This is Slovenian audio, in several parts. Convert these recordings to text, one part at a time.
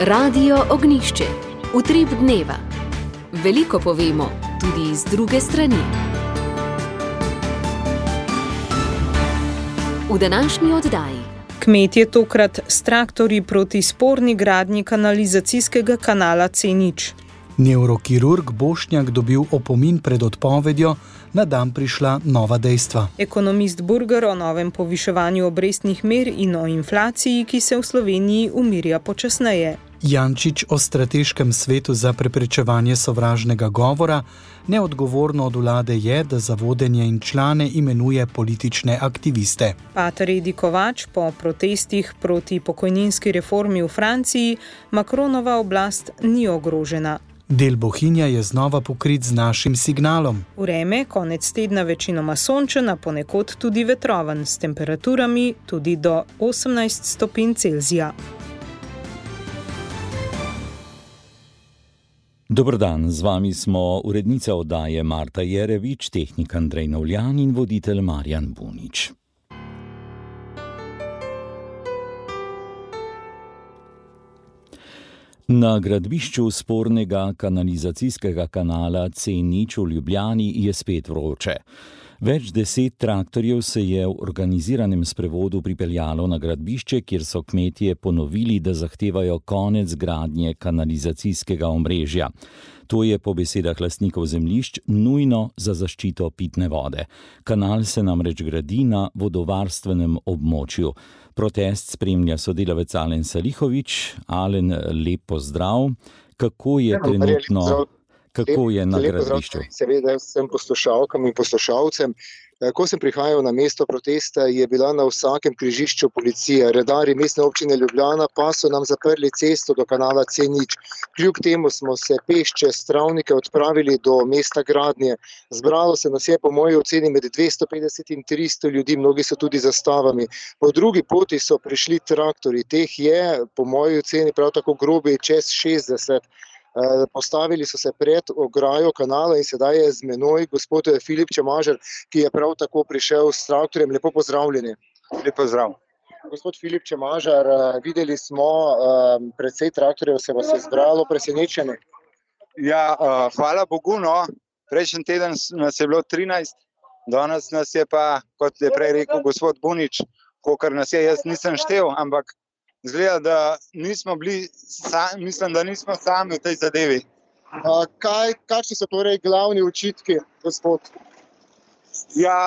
Radio Ognjišče. Utrip dneva. Veliko povemo, tudi iz druge strani. V današnji oddaji. Kmetje tokrat s traktorji proti sporni gradnji kanalizacijskega kanala C0. Nevrokirurg Bošnjak dobil opomin pred odpovedjo, na dan prišla nova dejstva. Ekonomist Burger o novem poviševanju obrestnih mer in o inflaciji, ki se v Sloveniji umirja počasneje. Jančič o strateškem svetu za preprečevanje sovražnega govora. Neodgovorno od vlade je, da za vodenje in člane imenuje politične aktiviste. Pater Edi Kovač po protestih proti pokojninski reformi v Franciji, Macronova oblast ni ogrožena. Del Bohinja je znova pokrit z našim signalom. Vreme konec tedna večinoma sončen, a ponekod tudi vetroven, s temperaturami tudi do 18 stopinj Celzija. Dober dan, z vami smo urednica oddaje Marta Jerevič, tehnik Andrej Novljan in voditelj Marjan Bunič. Na gradbišču spornega kanalizacijskega kanala C0 v Ljubljani je spet vroče. Več 10 traktorjev se je v organiziranem sprevodu pripeljalo na gradbišče, kjer so kmetje ponovili, da zahtevajo konec gradnje kanalizacijskega omrežja. To je po besedah lastnikov zemljišč nujno za zaščito pitne vode. Kanal se namreč gradi na vodovarstvenem območju. Protest spremlja sodelavec Alen Salihovič. Alen, lep pozdrav. Kako je trenutno... Kako je na gradbišču? Seveda vsem poslušalkam in poslušalcem. Ko sem prihajal na mesto protesta, je bila na vsakem križišču policija. Redarji Mestne občine Ljubljana pa so nam zaprli cesto do kanala C0. Kljub temu smo se peš čez travnike odpravili do mesta gradnje. Zbralo se nas je po moji oceni med 250 in 300 ljudi, mnogi so tudi zastavami. Po drugi poti so prišli traktori. Teh je po moji oceni prav tako grobi čez 60. Postavili so se pred ograjo kanala in sedaj je z menoj gospod Filip Čemažer, ki je prav tako prišel s traktorjem. Lepo pozdravljeni. Lep pozdrav. Gospod Filip Čemažer, videli smo, precej traktorjev se vas je zbralo, presenečeni. Ja, hvala Bogu, no. Prejšnji teden nas je bilo 13, danes nas je pa, kot je prej rekel gospod Bunič, kolikor nas je, jaz nisem štel, ampak izgleda, da nismo bili, mislim, da nismo sami v tej zadevi. Kakšni so torej glavni očitki, gospod? Ja,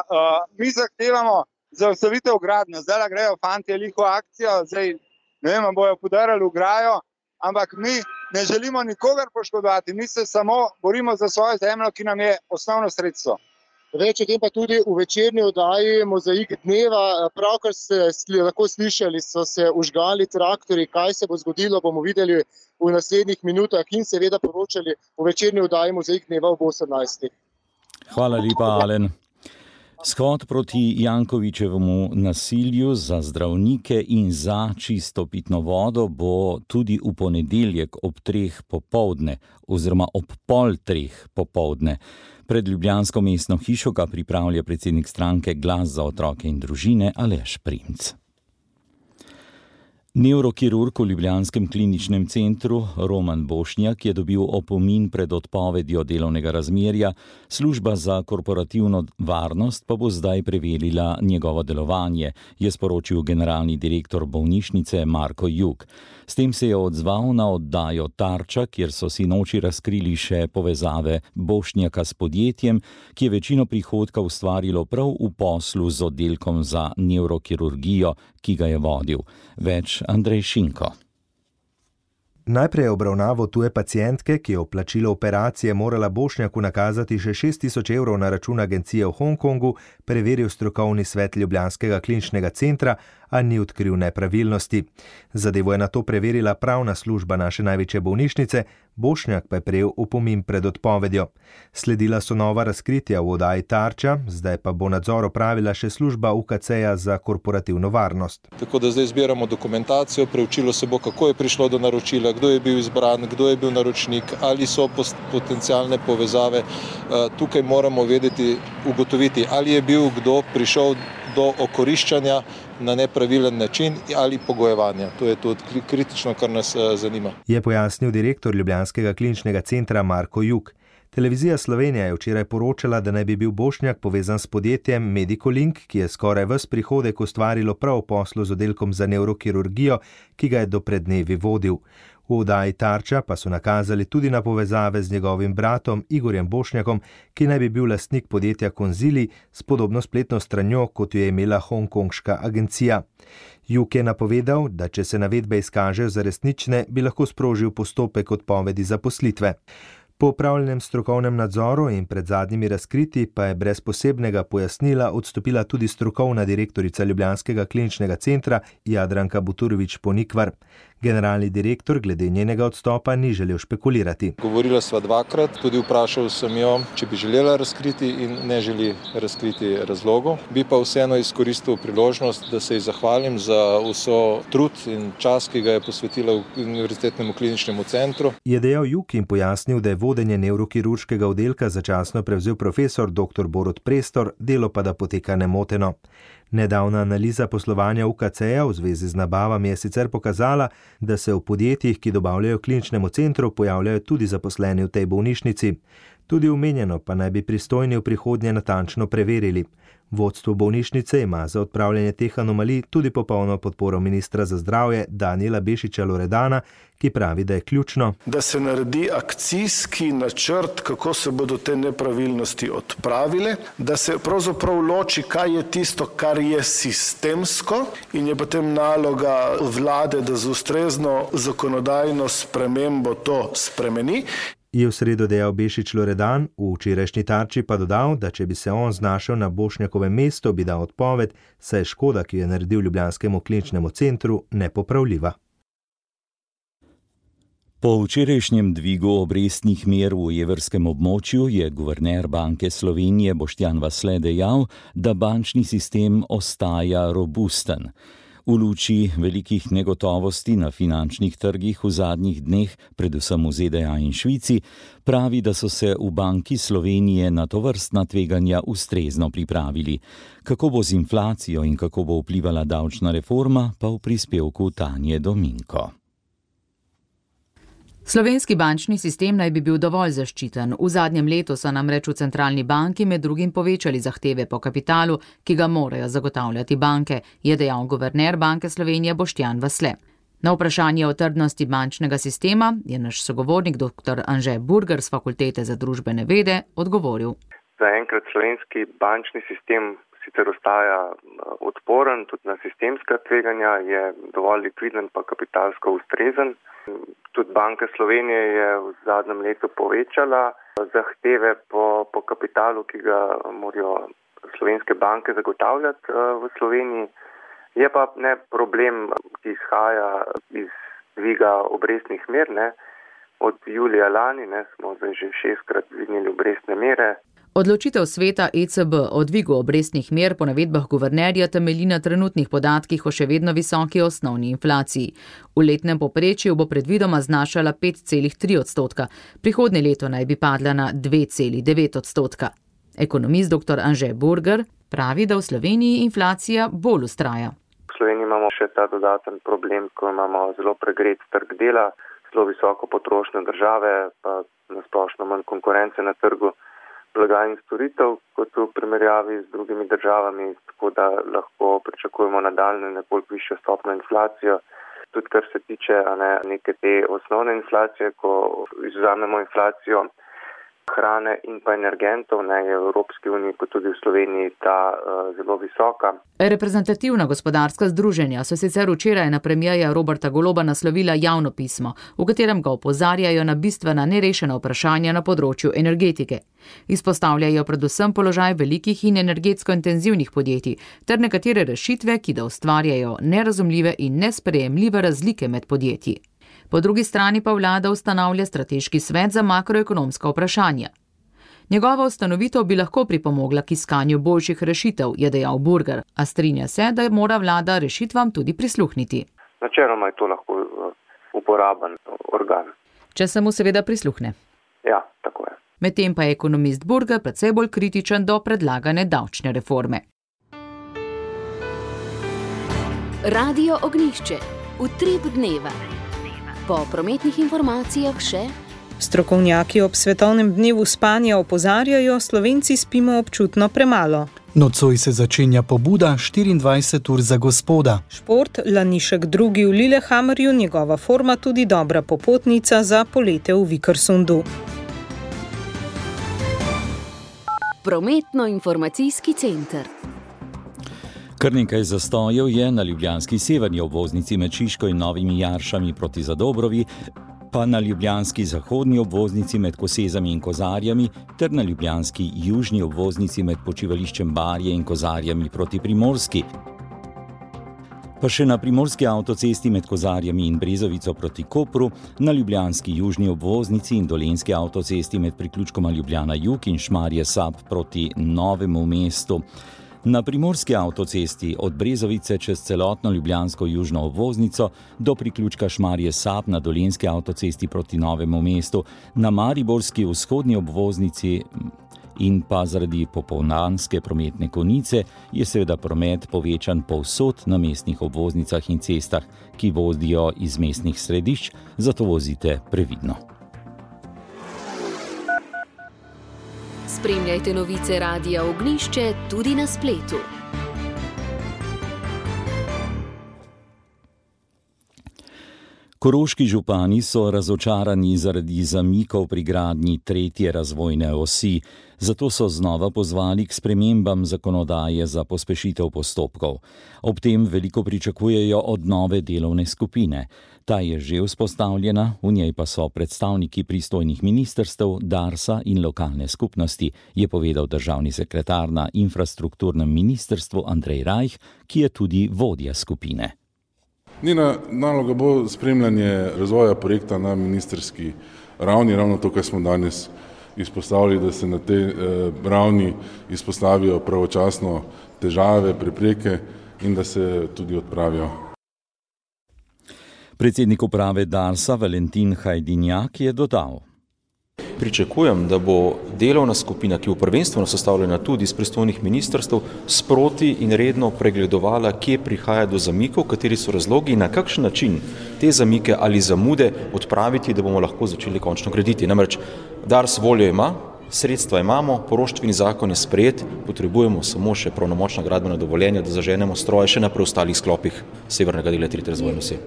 mi zahtevamo zaustavitev gradnje. Zdaj grejo fantje liho akcijo, zdaj ne vem, bojo podarali ograjo, ampak mi ne želimo nikogar poškodovati, mi se samo borimo za svojo zemljo, ki nam je osnovno sredstvo. Več o tem pa tudi v večerni oddaji Mozaik dneva. Pravkar ste lahko slišali, so se užgali traktori. Kaj se bo zgodilo, bomo videli v naslednjih minutah in seveda poročali v večerni oddaji Mozaik dneva ob 18. Hvala lepa, Alen. Shod proti Jankovićevemu nasilju za zdravnike in za čisto pitno vodo bo tudi v ponedeljek ob 3 popoldne oziroma ob 2:30 popoldne. Pred ljubljansko mestno hišo ga pripravlja predsednik stranke Glas za otroke in družine Aleš Primc. Nevrokirurg v ljubljanskem kliničnem centru Roman Bošnjak je dobil opomin pred odpovedjo delovnega razmerja, služba za korporativno varnost pa bo zdaj preverila njegovo delovanje, je sporočil generalni direktor bolnišnice Marko Jug. S tem se je odzval na oddajo Tarča, kjer so sinoči razkrili še povezave Bošnjaka s podjetjem, ki je večino prihodka ustvarilo prav v poslu z oddelkom za nevrokirurgijo, ki ga je vodil. Več Andrej Šinko. Najprej je obravnavo tuje pacientke, ki je v plačilo operacije morala Bošnjaku nakazati še 6.000 evrov na račun agencije v Hongkongu, preveril strokovni svet ljubljanskega kliničnega centra, a ni odkril nepravilnosti. Zadevo je nato preverila pravna služba naše največje bolnišnice, Bošnjak pa je prejel opomin pred odpovedjo. Sledila so nova razkritja v oddaji Tarča, zdaj pa bo nadzor opravila še služba UKC-ja za korporativno varnost. Tako da zdaj zbiramo dokumentacijo, preučilo se bo, kako je prišlo do naročila, kdo je bil izbran, kdo je bil naročnik, ali so potencialne povezave. Tukaj moramo ugotoviti, ali je bil kdo prišel do okoriščanja na nepravilen način ali pogojevanja. To je tudi kritično, kar nas zanima. Je pojasnil direktor Ljubljanskega kliničnega centra Marko Juk. Televizija Slovenija je včeraj poročala, da naj bi bil Bošnjak povezan s podjetjem Medicolink, ki je skoraj ves prihodek ustvarilo prav v poslu z oddelkom za nevrokirurgijo, ki ga je do pred dnevi vodil. V oddaji Tarča pa so nakazali tudi na povezave z njegovim bratom Igorjem Bošnjakom, ki naj bi bil lastnik podjetja Konzili s podobno spletno stranjo, kot jo je imela hongkonška agencija. Juk je napovedal, da če se navedbe izkažejo za resnične, bi lahko sprožil postopek odpovedi zaposlitve. Po opravljenem strokovnem nadzoru in pred zadnjimi razkriti pa je brez posebnega pojasnila odstopila tudi strokovna direktorica Ljubljanskega kliničnega centra Jadranka Buturović-Ponikvar. Generalni direktor glede njenega odstopa ni želel špekulirati. Govorila sva dvakrat, tudi vprašal sem jo, če bi želela razkriti in ne želi razkriti razlogov. Bi pa vseeno izkoristil priložnost, da se ji zahvalim za vso trud in čas, ki ga je posvetila v Univerzitetnemu kliničnemu centru. Je dejal Juk in pojasnil, da je vodenje nevrokirurškega oddelka začasno prevzel profesor dr. Borut Prestor, delo pa da poteka nemoteno. Nedavna analiza poslovanja UKC-ja v zvezi z nabavami je sicer pokazala, da se v podjetjih, ki dobavljajo kliničnemu centru, pojavljajo tudi zaposleni v tej bolnišnici. Tudi omenjeno pa naj bi pristojni v prihodnje natančno preverili. Vodstvo bolnišnice ima za odpravljanje teh anomalij tudi popolno podporo ministra za zdravje Danijela Bešiča Loredana, ki pravi, da je ključno, da se naredi akcijski načrt, kako se bodo te nepravilnosti odpravile, da se pravzaprav loči, kaj je tisto, kar je sistemsko in je potem naloga vlade, da z ustrezno zakonodajno spremembo to spremeni. Je v sredo dejal Bešič Loredan, v včerajšnji Tarči pa dodal, da če bi se on znašel na Bošnjakovem mestu, bi dal odpoved, saj je škoda, ki je naredil Ljubljanskemu kliničnemu centru, nepopravljiva. Po včerajšnjem dvigu obrestnih mer v evrskem območju je guverner Banke Slovenije Boštjan Vasle dejal, da bančni sistem ostaja robusten. V luči velikih negotovosti na finančnih trgih v zadnjih dneh, predvsem v ZDA in Švici, pravi, da so se v Banki Slovenije na tovrstna tveganja ustrezno pripravili. Kako bo z inflacijo in kako bo vplivala davčna reforma, pa v prispevku Tanje Dominko. Slovenski bančni sistem naj bi bil dovolj zaščiten. V zadnjem letu so namreč v centralni banki med drugim povečali zahteve po kapitalu, ki ga morajo zagotavljati banke, je dejal guverner Banke Slovenije Boštjan Vasle. Na vprašanje o trdnosti bančnega sistema je naš sogovornik dr. Anže Burger z Fakultete za družbene vede odgovoril. Zaenkrat slovenski bančni sistem sicer ostaja odporen, tudi na sistemska tveganja, je dovolj likviden pa kapitalsko ustrezen. Tudi Banka Slovenije je v zadnjem letu povečala zahteve po kapitalu, ki ga morajo slovenske banke zagotavljati v Sloveniji. Je pa problem, ki izhaja iz dviga obrestnih mer. Od julija lani smo zdaj že 6-krat dvignili obrestne mere. Odločitev sveta ECB o dvigu obrestnih mer po navedbah guvernerja temelji na trenutnih podatkih o še vedno visoki osnovni inflaciji. V letnem povprečju bo predvidoma znašala 5,3%, prihodnje leto naj bi padla na 2,9%. Ekonomist dr. Anže Burger pravi, da v Sloveniji inflacija bolj vztraja. V Sloveniji imamo še ta dodaten problem, ko imamo zelo pregret trg dela, zelo visoko potrošnjo države, pa nasplošno manj konkurence na trgu blaga in storitev, kot v primerjavi z drugimi državami, tako da lahko pričakujemo nadaljnjo nekoliko višjo stopnjo inflacijo. Tudi kar se tiče neke te osnovne inflacije, ko izvzamemo inflacijo hrane in pa energentov, je v Evropski uniji kot tudi v Sloveniji ta zelo visoka. Reprezentativna gospodarska združenja so sicer včeraj na premierja Roberta Goloba naslovila javno pismo, v katerem ga opozarjajo na bistvena nerešena vprašanja na področju energetike. Izpostavljajo predvsem položaj velikih in energetsko intenzivnih podjetij ter nekatere rešitve, ki da ustvarjajo nerazumljive in nesprejemljive razlike med podjetji. Po drugi strani pa vlada ustanavlja strateški svet za makroekonomska vprašanja. Njegova ustanovitev bi lahko pripomogla k iskanju boljših rešitev, je dejal Burger, a strinja se, da mora vlada rešitvam tudi prisluhniti. Načeloma je to lahko uporaben organ. Če se mu seveda prisluhne. Ja, tako je. Medtem pa je ekonomist Burger precej bolj kritičen do predlagane davčne reforme. Radio Ognjišče, utrip dneva. Po prometnih informacijah še... Strokovnjaki ob svetovnem dnevu spanja opozarjajo, Slovenci spimo občutno premalo. Nocoj se začenja pobuda 24 ur za gospoda. Šport, Lanišek II v Lillehammerju, njegova forma tudi dobra popotnica za polete v Vikersundu. Prometno-informacijski center. Kar nekaj zastojev je na ljubljanski severni obvoznici med Šiško in Novimi Jaršami proti Zadobrovi, pa na ljubljanski zahodni obvoznici med Kosezami in Kozarjami ter na ljubljanski južni obvoznici med počivališčem Barje in Kozarjami proti Primorski. Pa še na primorski avtocesti med Kozarjami in Brezovico proti Kopru, na ljubljanski južni obvoznici in dolenski avtocesti med priključkoma Ljubljana Jug in Šmarje Sap proti Novemu mestu. Na primorski avtocesti od Brezovice čez celotno ljubljansko južno obvoznico do priključka Šmarje Sap na dolenski avtocesti proti Novemu mestu, na mariborski vzhodni obvoznici in pa zaradi popolnanske prometne konice je seveda promet povečan povsod na mestnih obvoznicah in cestah, ki vodijo iz mestnih središč, zato vozite previdno. Spremljajte novice Radia Ognjišče tudi na spletu. Koroški župani so razočarani zaradi zamikov pri gradnji 3. razvojne osi, zato so znova pozvali k spremembam zakonodaje za pospešitev postopkov. Ob tem veliko pričakujejo od nove delovne skupine. Ta je že vzpostavljena, v njej pa so predstavniki pristojnih ministrstev, Darsa in lokalne skupnosti, je povedal državni sekretar na infrastrukturnem ministrstvu Andrej Rajh, ki je tudi vodja skupine. Njena naloga bo spremljanje razvoja projekta na ministerski ravni, ravno to, kar smo danes izpostavili, da se na tej ravni izpostavijo pravočasno težave, prepreke in da se tudi odpravijo. Predsednik uprave Darsa Valentin Hajdinjak je dodal. Pričakujem, da bo delovna skupina, ki bo prvenstveno sestavljena tudi iz pristojnih ministrstev, sproti in redno pregledovala, kje prihaja do zamikov, kateri so razlogi in na kakšen način te zamike ali zamude odpraviti, da bomo lahko začeli končno graditi. Namreč Dars voljo ima, sredstva imamo, poroštveni zakon je sprejet, potrebujemo samo še pravnomočna gradbena dovoljenja, da zaženemo stroje še na preostalih sklopih severnega dela 3. razvojne osi.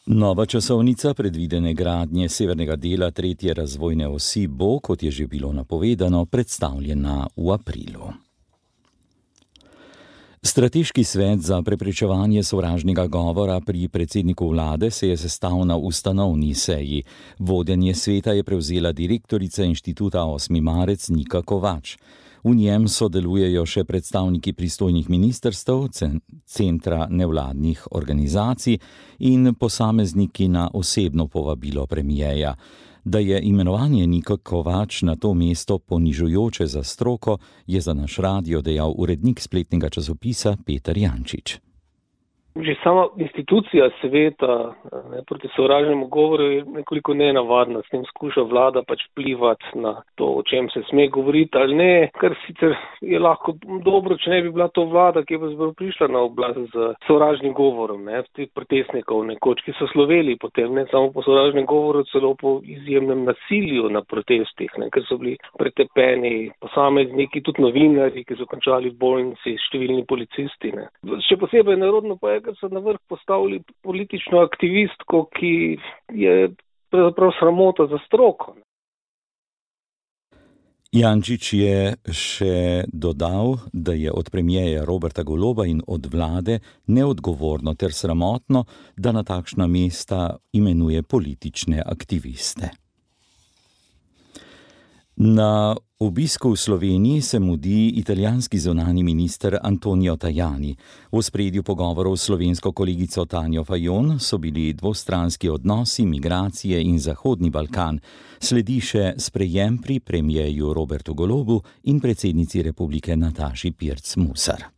Nova časovnica predvidene gradnje severnega dela 3. razvojne osi bo, kot je že bilo napovedano, predstavljena v aprilu. Strateški svet za preprečevanje sovražnega govora pri predsedniku vlade se je sestal na ustanovni seji. Vodenje sveta je prevzela direktorica inštituta 8. marec Nika Kovač. V njem sodelujejo še predstavniki pristojnih ministrstev, centra nevladnih organizacij in posamezniki na osebno povabilo premijeja. Da je imenovanje Nika Kovač na to mesto ponižujoče za stroko, je za naš radio dejal urednik spletnega časopisa Peter Jančič. Že sama institucija sveta proti sovražnemu govoru je nekoliko nenavadna, s tem skuša vlada pač vplivati na to, o čem se sme govoriti ali ne, kar sicer je lahko dobro, če ne bi bila to vlada, ki bo prišla na oblast z sovražnim govorom, tih protestnikov nekoč, ki so sloveli potem, ne samo po sovražnem govoru, celo po izjemnem nasilju na protestih, ker so bili pretepeni posamezniki, tudi novinarji, ki so končali v bolnici, številni policisti. Še posebej narodno pa je, ker so na vrh postavili politično aktivistko, ki je pravzaprav sramota za stroko. Jančič je še dodal, da je od premijeja Roberta Goloba in od vlade neodgovorno ter sramotno, da na takšna mesta imenuje politične aktiviste. Na obisku v Sloveniji se mudi italijanski zunanji minister Antonio Tajani. V ospredju pogovorov s slovensko kolegico Tanjo Fajon so bili dvostranski odnosi, migracije in Zahodni Balkan. Sledi še sprejem pri premijeju Robertu Golobu in predsednici republike Nataši Pirc Musar.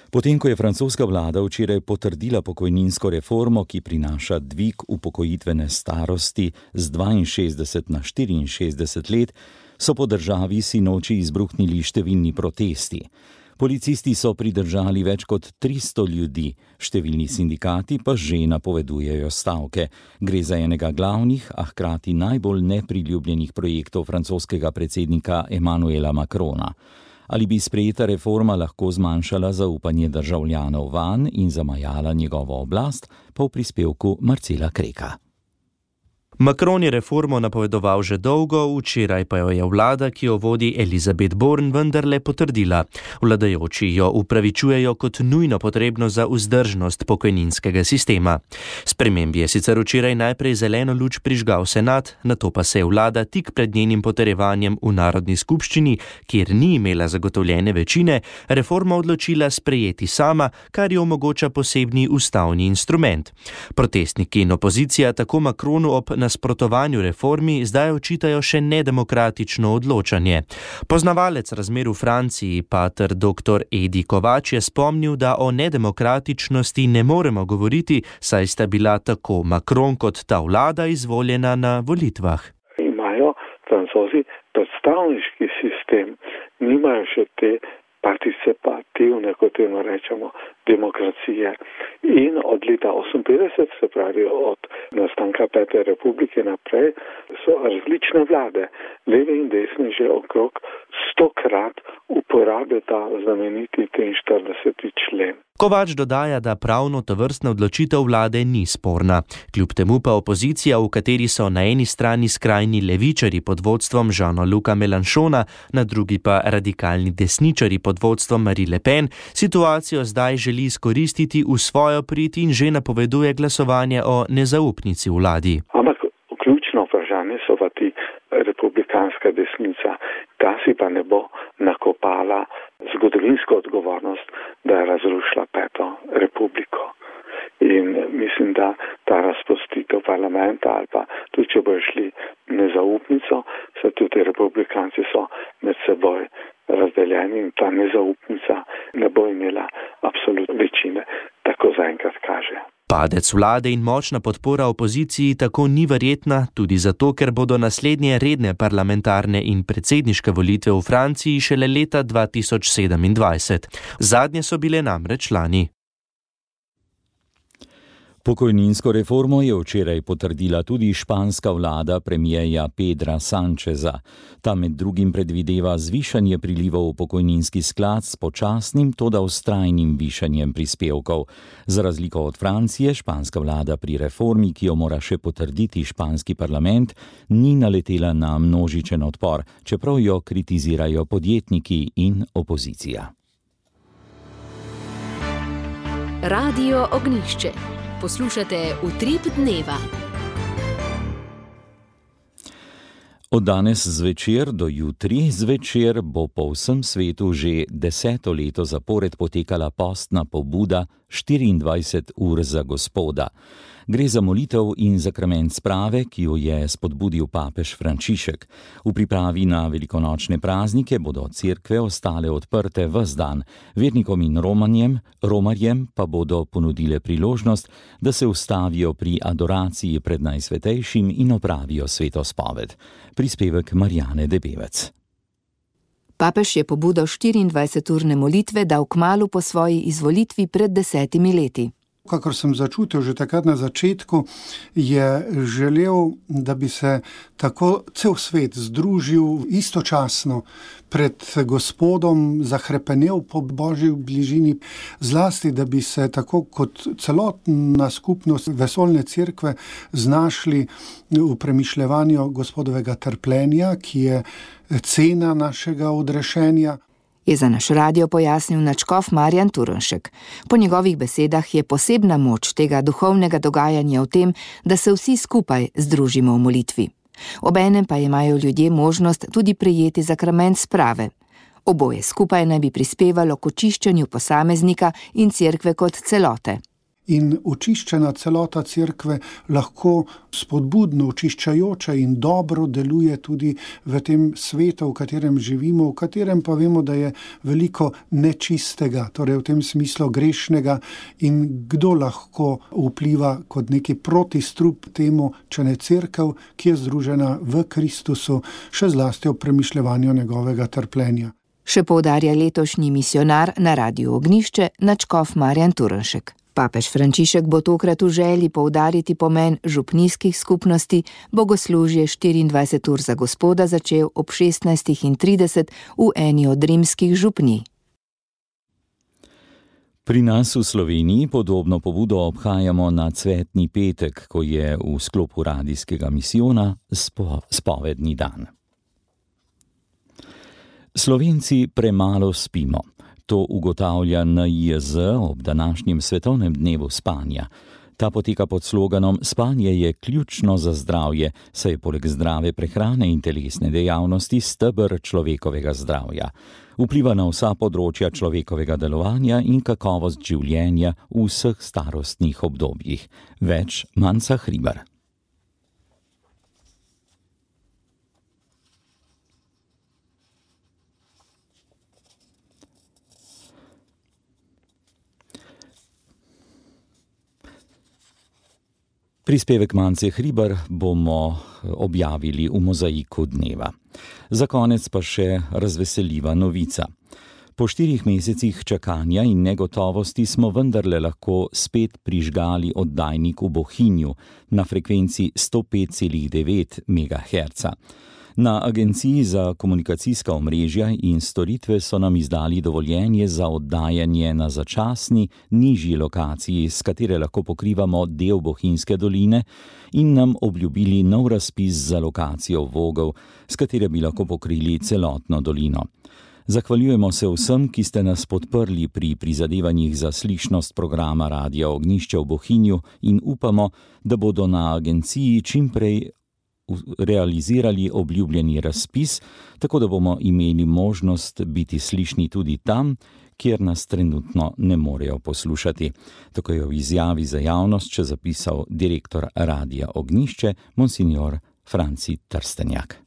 Potem, ko je francoska vlada včeraj potrdila pokojninsko reformo, ki prinaša dvig upokojitvene starosti z 62 na 64 let, so po državi sinoči izbruhnili številni protesti. Policisti so pridržali več kot 300 ljudi, številni sindikati pa že napovedujejo stavke. Gre za enega glavnih, a hkrati najbolj nepriljubljenih projektov francoskega predsednika Emmanuela Macrona. Ali bi sprejeta reforma lahko zmanjšala zaupanje državljanov vanj in zamajala njegovo oblast, pa v prispevku Marcela Kreka. Macron je reformo napovedoval že dolgo, včeraj pa jo je vlada, ki jo vodi Elisabeth Borne, vendarle potrdila. Vladajoči jo upravičujejo kot nujno potrebno za vzdržnost pokojninskega sistema. Spremembi je sicer včeraj najprej zeleno luč prižgal senat, nato pa se je vlada tik pred njenim potrjevanjem v Narodni skupščini, kjer ni imela zagotovljene večine, reforma odločila sprejeti sama, kar jo omogoča posebni ustavni instrument. Protestniki in opozicija tako Macronu ob nasprotovanju reformi zdaj očitajo še nedemokratično odločanje. Poznavalec razmer v Franciji, pater dr. Edi Kovač, je spomnil, da o nedemokratičnosti ne moremo govoriti, saj sta bila tako Macron kot ta vlada izvoljena na volitvah. Imajo Francozi predstavniški sistem, nimajo še te participativne, kot temu rečemo, demokracije. In od leta 1958, se pravi od nastanka Pete republike naprej, so različne vlade, leve in desne, že okrog 100-krat uporabljajo ta znameniti 43. člen. Kovač dodaja, da pravno tovrstna odločitev vlade ni sporna. Kljub temu pa opozicija, v kateri so na eni strani skrajni levičari pod vodstvom Jeana-Luca Mélenchona, na drugi pa radikalni desničari pod vodstvom Marie Le Pen, situacijo zdaj želi izkoristiti v svojo prid in že napoveduje glasovanje o nezaupnici vladi. Ampak ključno vprašanje so pa ti republikanska desnica. Ta si pa ne bo nakopala zgodovinsko odgovornost, da je razrušila Peto republiko. In mislim, da ta razpustitev parlamenta ali pa tudi, če bojo šli nezaupnico, se tudi republikanci so med seboj razdeljeni in ta nezaupnica ne bo imela absolutne večine, tako zaenkrat kaže. Padec vlade in močna podpora opoziciji tako ni verjetna, tudi zato, ker bodo naslednje redne parlamentarne in predsedniške volitve v Franciji šele leta 2027. Zadnje so bile namreč lani. Pokojninsko reformo je včeraj potrdila tudi španska vlada premierja Pedra Sancheza. Ta med drugim predvideva zvišanje prilivov v pokojninski sklad s počasnim, toda vztrajnim višanjem prispevkov. Za razliko od Francije, španska vlada pri reformi, ki jo mora še potrditi španski parlament, ni naletela na množičen odpor, čeprav jo kritizirajo podjetniki in opozicija. Radio Ognjišče. Poslušate Utrip dneva. Od danes zvečer do jutri zvečer bo po vsem svetu že 10. leto zapored potekala postna pobuda 24 ur za Gospoda. Gre za molitev in zakrament sprave, ki jo je spodbudil papež Frančišek. V pripravi na velikonočne praznike bodo cerkve ostale odprte ves dan. Vernikom in romarjem pa bodo ponudile priložnost, da se ustavijo pri adoraciji pred Najsvetejšim in opravijo svetospoved. Prispevek Marjane Debevec. Papež je pobudo 24-urne molitve dal kmalu po svoji izvolitvi pred 10 leti. Kakor sem začutil že takrat na začetku, je želel, da bi se tako cel svet združil istočasno pred Gospodom, zahrepenel po Božji bližini, zlasti, da bi se tako kot celotna skupnost vesoljne cerkve znašli v premišljevanju Gospodovega trpljenja, ki je cena našega odrešenja. Je za naš radio pojasnil nadškof Marjan Turnšek. Po njegovih besedah je posebna moč tega duhovnega dogajanja v tem, da se vsi skupaj združimo v molitvi. Obenem pa imajo ljudje možnost tudi prejeti zakrament sprave. Oboje skupaj naj bi prispevalo k očiščenju posameznika in cerkve kot celote. In očiščena celota cerkve lahko spodbudno, očiščajoče in dobro deluje tudi v tem svetu, v katerem živimo, v katerem pa vemo, da je veliko nečistega, torej v tem smislu grešnega, in kdo lahko vpliva kot neki protistrup temu, če ne cerkev, ki je združena v Kristusu, še zlasti ob premišljevanju njegovega trpljenja. Še poudarja letošnji misionar na Radiu Ognišče nadškof Marjan Turnšek. Papež Frančišek bo tokrat v želji poudariti pomen župnijskih skupnosti bogoslužje 24 ur za Gospoda začel ob 16:30 v eni od rimskih župnij. Pri nas v Sloveniji podobno pobudo obhajamo na Cvetni petek, ko je v sklopu radijskega misijona spovedni dan. Slovenci premalo spimo. To ugotavlja NIJZ ob današnjem svetovnem dnevu spanja. Ta poteka pod sloganom Spanje je ključno za zdravje, saj je poleg zdrave prehrane in telesne dejavnosti steber človekovega zdravja. Vpliva na vsa področja človekovega delovanja in kakovost življenja v vseh starostnih obdobjih. Več Manca Hribar. Prispevek Mance Hribar bomo objavili v mozaiku dneva. Za konec pa še razveseljiva novica. Po 4 mesecih čakanja in negotovosti smo vendarle lahko spet prižgali oddajnik v Bohinju na frekvenci 105,9 MHz. Na Agenciji za komunikacijska omrežja in storitve so nam izdali dovoljenje za oddajanje na začasni, nižji lokaciji, s katere lahko pokrivamo del Bohinjske doline, in nam obljubili nov razpis za lokacijo Vogel, s katere bi lahko pokrili celotno dolino. Zahvaljujemo se vsem, ki ste nas podprli pri prizadevanjih za slišnost programa Radia Ognišče v Bohinju in upamo, da bodo na agenciji čimprej realizirali obljubljeni razpis, tako da bomo imeli možnost biti slišni tudi tam, kjer nas trenutno ne morejo poslušati. Tako je v izjavi za javnost še zapisal direktor Radia Ognišče, monsignor Franci Trstenjak.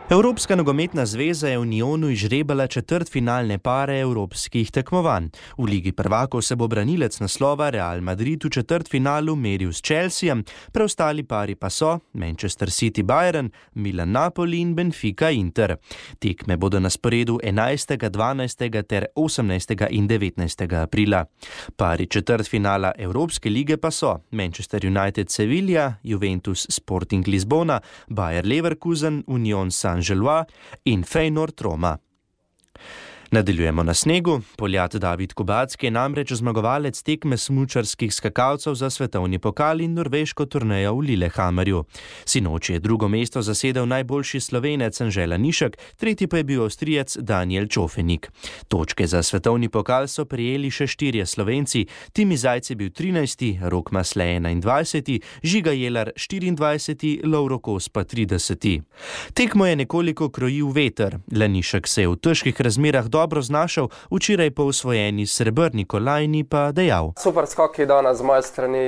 Evropska nogometna zveza je v Nyonu izžrebala četrtfinalne pare evropskih tekmovanj. V Ligi prvakov se bo branilec naslova Real Madrid v četrtfinalu meril s Chelseajem, preostali pari pa so Manchester City Bayern, Milan Napoli in Benfica Inter. Tekme bodo na sporedu 11., 12. ter 18. in 19. aprila. Pari četrtfinala Evropske lige pa so Manchester United Sevilla, Juventus Sporting Lisbona, Bayer Leverkusen, Union Saint-Gilloise in Feyenoord Roma. Nadaljujemo na snegu. Poljat David Kubacki je namreč zmagovalec tekme smučarskih skakalcev za svetovni pokal in norveško turnejo v Lillehammerju. Sinoči je drugo mesto zasedel najboljši Slovenec Anže Lanišek, tretji pa je bil Avstrijec Daniel Čofenik. Točke za svetovni pokal so prijeli še 4 Slovenci, Timi Zajc je bil 13., Rok Masle 21., Žiga Jelar 24., Lovro Kos pa 30. Tekmo je nekoliko krojil veter. Lanišek se je v težkih razmerah dobro znašel, včeraj po osvojeni srebrni kolajni pa dejal. Super skok je danes z moje strani.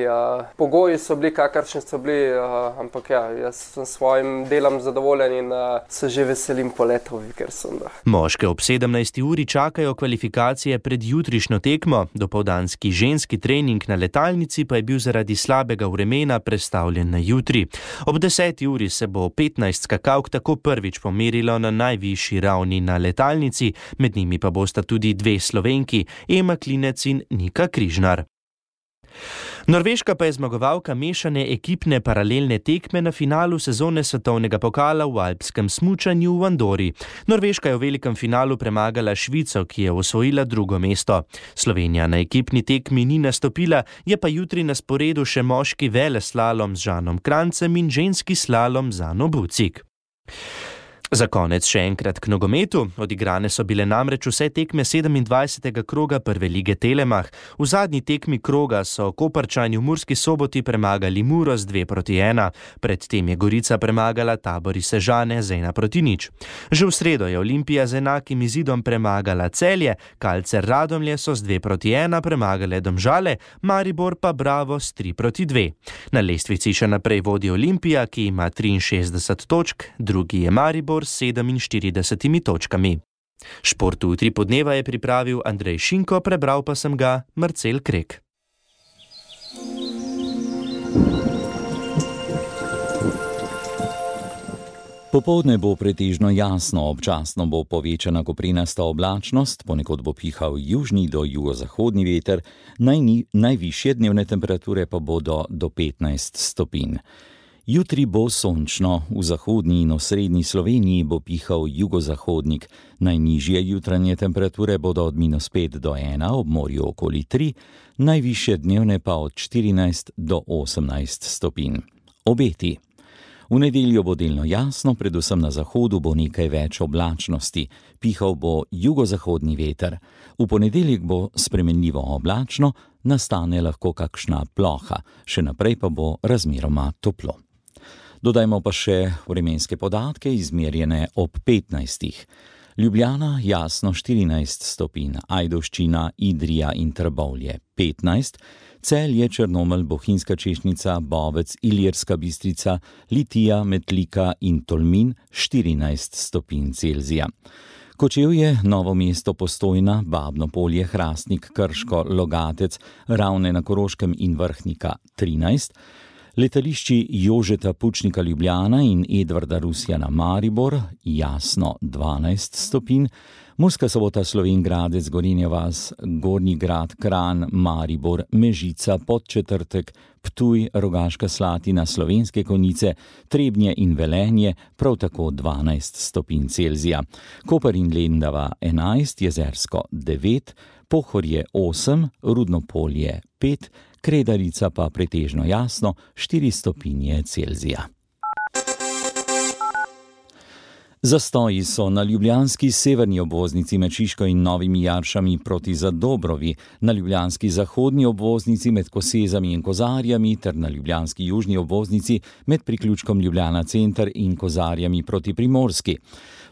Pogoji so bili, kakršni so bili, ampak ja, jaz sem svojim delom zadovoljen in se že veselim poletov v Vikersunda. Moške ob 17. uri čakajo kvalifikacije pred jutrišnjo tekmo. Dopoldanski ženski trening na letalnici pa je bil zaradi slabega vremena prestavljen na jutri. Ob 10. uri se bo 15 skakalk tako prvič pomerilo na najvišji ravni na letalnici, med njimi pa bosta tudi 2 Slovenki, Ema Klinec in Nika Križnar. Norveška pa je zmagovalka mešane ekipne paralelne tekme na finalu sezone svetovnega pokala v alpskem smučanju v Andori. Norveška je v velikem finalu premagala Švico, ki je osvojila drugo mesto. Slovenija na ekipni tekmi ni nastopila, je pa jutri na sporedu še moški veleslalom z Žanom Krancem in ženski slalom z Ano Bucik. Za konec še enkrat k nogometu. Odigrane so bile namreč vse tekme 27. kroga prve lige Telemach. V zadnji tekmi kroga so Koprčani v Murski Soboti premagali Muro z 2:1. Predtem je Gorica premagala Tabor iz Sežane z 1:0. Že v sredo je Olimpija z enakim izidom premagala Celje, Kalcer Radomlje so z 2:1 premagale Domžale, Maribor pa Bravo s 3:2. Na lestvici še naprej vodi Olimpija, ki ima 63 točk, drugi je Maribor s 47 točkami. Šport v Utripu dneva je pripravil Andrej Šinko, prebral pa sem ga Marcel Krek. Popoldne bo pretežno jasno, občasno bo povečana koprenasta oblačnost, ponekod bo pihal južni do jugozahodni veter, najvišje dnevne temperature pa bodo do 15 stopinj. Jutri bo sončno, v zahodni in osrednji Sloveniji bo pihal jugozahodnik, najnižje jutranje temperature bodo od -5 do 1, ob morju okoli 3, najvišje dnevne pa od 14 do 18 stopinj. Obeti. V nedeljo bo delno jasno, predvsem na zahodu bo nekaj več oblačnosti, pihal bo jugozahodni veter. V ponedeljek bo spremenljivo oblačno, nastane lahko kakšna ploha, še naprej pa bo razmeroma toplo. Dodajmo pa še vremenske podatke, izmerjene ob 15. Ljubljana jasno 14 stopinj, Ajdovščina, Idrija in Trbovlje 15, Celje, Črnomelj, Bohinjska Češnica, Bovec, Ilirska Bistrica, Litija, Metlika in Tolmin 14 stopinj Celzija. Kočevje, Novo mesto, Postojna, Babno Polje, Hrastnik, Krško, Logatec, Ravne na Koroškem in Vrhnika 13, letališči Jožeta Pučnika Ljubljana in Edvarda Rusjana Maribor jasno 12 stopinj, Murska Sobota, Slovenj Gradec, Gorenja vas, Gornji Grad, Kranj, Maribor, Mežica, Podčetrtek, Ptuj, Rogaška Slatina, Slovenske Konjice, Trebnje in Velenje prav tako 12 stopinj Celzija. Koper in Lendava 11, Jezersko 9, Pohorje 8, Rudno Polje 5, Kredarica pa pretežno jasno 4 stopinje Celzija. Zastoji so na ljubljanski severni obvoznici med Šiško in Novimi Jaršami proti Zadobrovi, na ljubljanski zahodni obvoznici med Kosezami in Kozarjami ter na ljubljanski južni obvoznici med priključkom Ljubljana center in Kozarjami proti Primorski.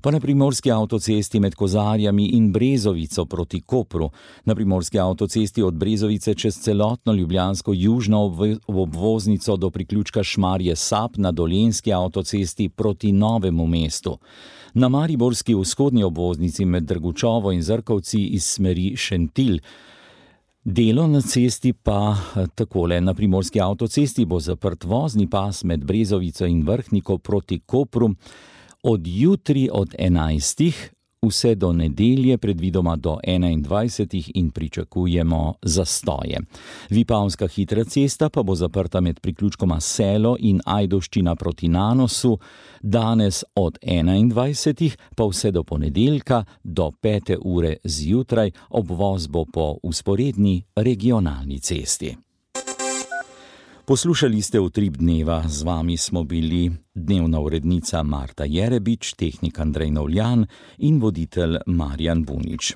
Pa na primorski avtocesti med Kozarjami in Brezovico proti Kopru, na primorski avtocesti od Brezovice čez celotno ljubljansko južno obvoznico do priključka Šmarje Sap na dolenjski avtocesti proti Novemu mestu. Na mariborski vzhodni obvoznici med Drgučovo in Zrkovci iz smeri Šentilj. Delo na cesti pa takole, na primorski avtocesti bo zaprt vozni pas med Brezovico in Vrhniko proti Kopru, od jutri od 11. vse do nedelje, predvidoma do 21. in pričakujemo zastoje. Vipavska hitra cesta pa bo zaprta med priključkoma Selo in Ajdovščina proti Nanosu, danes od 21. pa vse do ponedeljka do 5. ure zjutraj, obvoz bo po vzporedni regionalni cesti. Poslušali ste Utrip dneva, z vami smo bili dnevna urednica Marta Jerebič, tehnik Andrej Novljan in voditelj Marjan Bunič.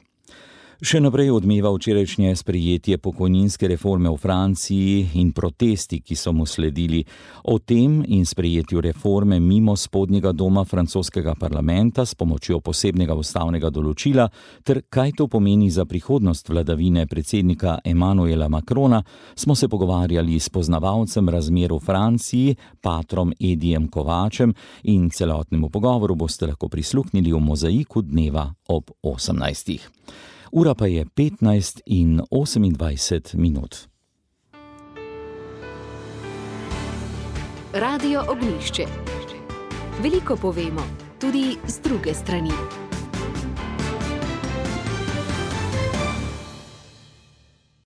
Še naprej odmeva včerajšnje sprejetje pokojninske reforme v Franciji in protesti, ki so mu sledili. O tem in sprejetju reforme mimo spodnjega doma francoskega parlamenta s pomočjo posebnega ustavnega določila ter kaj to pomeni za prihodnost vladavine predsednika Emmanuela Macrona, smo se pogovarjali s poznavalcem razmer v Franciji, patrom Edijem Kovačem, in celotnemu pogovoru boste lahko prisluhnili v Mozaiku dneva ob 18. Ura pa je 15:28. Radio Ognjišče. Veliko povemo, tudi z druge strani.